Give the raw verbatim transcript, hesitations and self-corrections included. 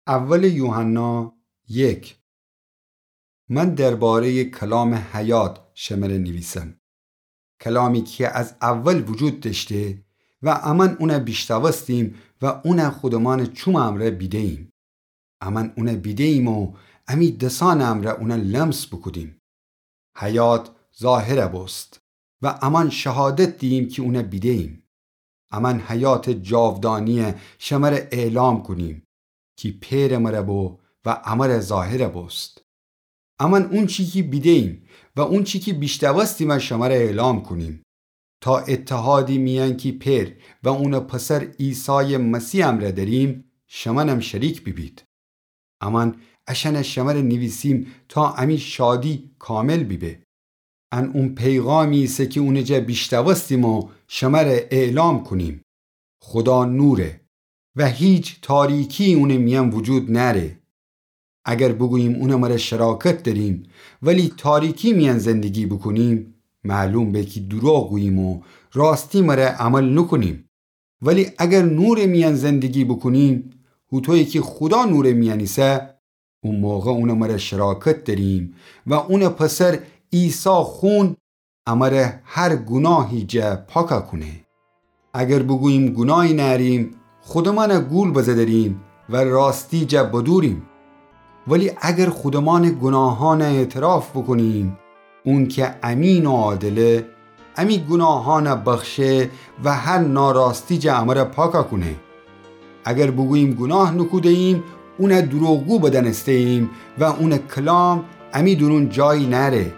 اول یوحنا یک. من درباره‌ی کلام حیات شمره نیویسم، کلامی کی از اول وجود دأشته و امأن اون بیشنوستیم و اون خودمان چوم امرأ بیده‌ییم. امأن اون بیده‌ییم و امی دسأن امرأ اون لمس بوکودیم. حیات ظاهر بوست و امأن شهادت دییم کی اون بیده‌ییم. امأن حیات جاودانی شمره اعلام کونیم کی پئر مره بو و امره ظاهر بوست. امأن اونچی کی بیده‌ییم و اونچی کی بیشنوستیم شمره اعلام کونیم، تا اتحادی میأن کی پئر و اون پسر عیسی مسیح امرأ دأریم، شمأنم شریک بیبید. امأن اشأن شمره نیویسیم تا امی شادی کامل بیبه. ان او پیغامی ایسه کی اون جا بیشنوستیم و شمره اعلام کونیم. خودا نوره و هیچ تاریکی اون میأن وجود نأره. اگر بوگوییم اون مره شراکت دأریم ولی تاریکی میأن زندگی بوکونیم، معلوم به کی دروغ گوییم و راستی مره عمل نوکونیم. ولی اگر نور میأن زندگی بوکونیم، هوطویی کی خودا نور میأن ایسه، او موقع اون مره شراکت دأریم و اون پسر عیسی خون امره هر گوناهی جا پاکا کونه. اگر بوگوییم گوناهی نأریم، خودمان گول بزه دأریم و راستی جا بدوریم. ولی اگر خودمان گوناهان اعتراف بوکونیم، اون کی امین و عادله، امی گوناهان بخشه و هر ناراستی جا امره پاکا کونه. اگر بوگوییم گوناه نوکوده‌ییم، اون دروغگو بدأنسته‌ییم و اون کلام امی دورون جایی نأره.